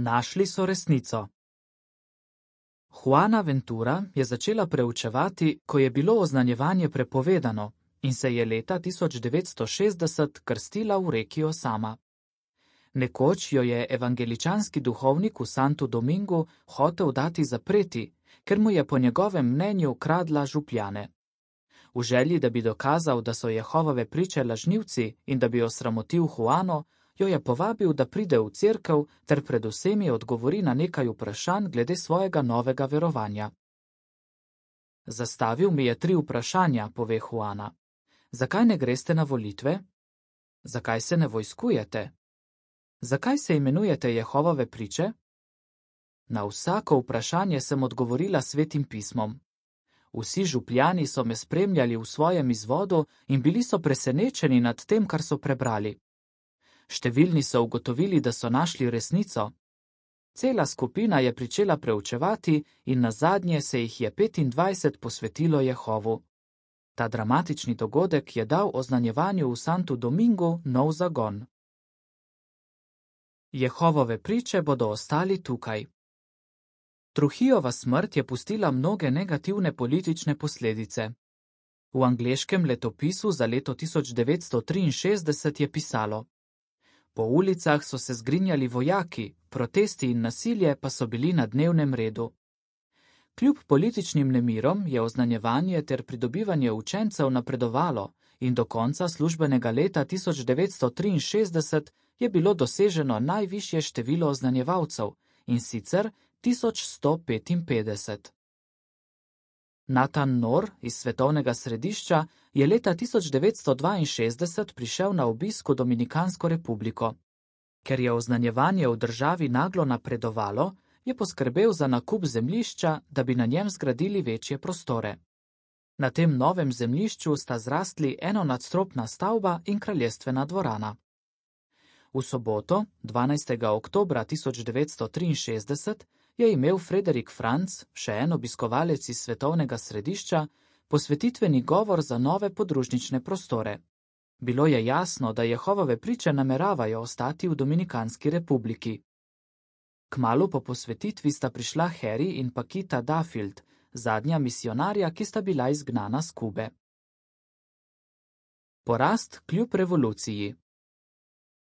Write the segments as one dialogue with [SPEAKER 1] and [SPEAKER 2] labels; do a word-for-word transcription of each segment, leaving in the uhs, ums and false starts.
[SPEAKER 1] Našli so resnico. Juana Ventura je začela preučevati, ko je bilo oznanjevanje prepovedano in se je leta tisoč devetsto šestdeset krstila v reki Osama. Nekoč jo je evangeličanski duhovnik v Santu Domingu hotel dati zapreti, ker mu je po njegovem mnenju kradla župljane. V želji, da bi dokazal, da so Jehovove priče lažnivci in da bi osramotil Juano, jo je povabil, da pride v cerkev ter pred vsemi odgovori na nekaj vprašanj glede svojega novega verovanja. Zastavil mi je tri vprašanja, pove Juana. Zakaj ne greste na volitve? Zakaj se ne vojskujete? Zakaj se imenujete Jehovove priče? Na vsako vprašanje sem odgovorila svetim pismom. Vsi župljani so me spremljali v svojem izvodu in bili so presenečeni nad tem, kar so prebrali. Številni so ugotovili, da so našli resnico. Cela skupina je pričela preučevati in nazadnje se jih je petindvajset posvetilo Jehovu. Ta dramatični dogodek je dal oznanjevanju v Santu Domingu nov zagon. Jehovove priče bodo ostali tukaj. Trujillova smrt je pustila mnoge negativne politične posledice. V angleškem letopisu za leto tisoč devetsto triinšestdeset je pisalo: Po ulicah so se zgrinjali vojaki, protesti in nasilje pa so bili na dnevnem redu. Kljub političnim nemirom je oznanjevanje ter pridobivanje učencev napredovalo in do konca službenega leta tisoč devetsto triinšestdeset je bilo doseženo najvišje število oznanjevalcev, in sicer tisoč sto petinpetdeset. Nathan Nor iz svetovnega središča je leta tisoč devetsto dvainšestdeset prišel na obisk v Dominikansko republiko. Ker je oznanjevanje v državi naglo napredovalo, je poskrbel za nakup zemljišča, da bi na njem zgradili večje prostore. Na tem novem zemljišču sta zrastli enonadstropna stavba in kraljestvena dvorana. V soboto, dvanajstega oktobra tisoč devetsto triinšestdeset, je imel Frederik Franc, še en obiskovalec iz svetovnega središča, posvetitveni govor za nove podružnične prostore. Bilo je jasno, da Jehovove priče nameravajo ostati v Dominikanski republiki. Kmalu po posvetitvi sta prišla Harry in Paquita Duffield, zadnja misionarja, ki sta bila izgnana s Kube. Porast kljub revoluciji.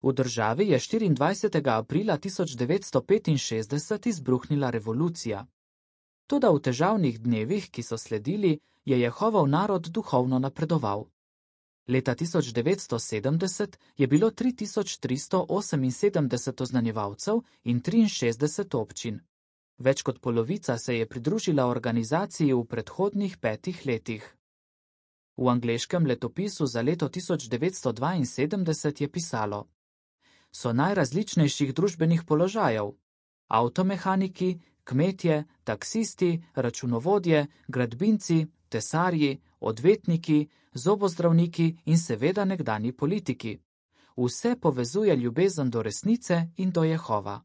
[SPEAKER 1] V državi je štiriindvajsetega aprila tisoč devetsto petinšestdeset izbruhnila revolucija. Toda v težavnih dnevih, ki so sledili, je Jehovov narod duhovno napredoval. Leta tisoč devetsto sedemdeset je bilo tri tisoč tristo oseminsedemdeset oznanjevalcev in triinšestdeset občin. Več kot polovica se je pridružila organizaciji v predhodnih petih letih. V angleškem letopisu za leto tisoč devetsto dvainsedemdeset je pisalo: So najrazličnejših družbenih položajev: avtomehaniki, kmetje, taksisti, računovodje, gradbinci, tesarji, odvetniki, zobozdravniki in seveda nekdanji politiki. Vse povezuje ljubezen do resnice in do Jehova.